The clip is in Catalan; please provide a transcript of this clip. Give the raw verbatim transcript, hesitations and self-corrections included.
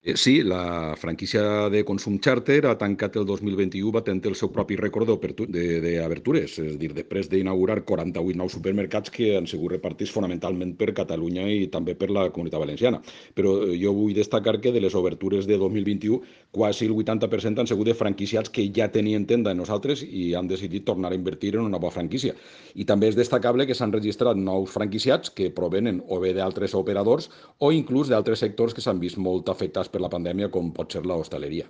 Eh, Sí, la franquícia de Consum Charter ha tancat el dos mil vint-i-u batent el seu propi rècord d'obertu- de- d'obertures, és a dir, després d'inaugurar quaranta-vuit nous supermercats que han sigut repartits fonamentalment per Catalunya i també per la Comunitat Valenciana. Però eh, jo vull destacar que de les obertures de dos mil vint-i-u, quasi el vuitanta per cent han sigut de franquiciats que ja tenien tenda en nosaltres i han decidit tornar a invertir en una nova franquícia. I també és destacable que s'han registrat nous franquiciats que provenen o bé d'altres operadors o inclús d'altres sectors que s'han vist molt afectats per la pandèmia, com pot ser l'hostaleria.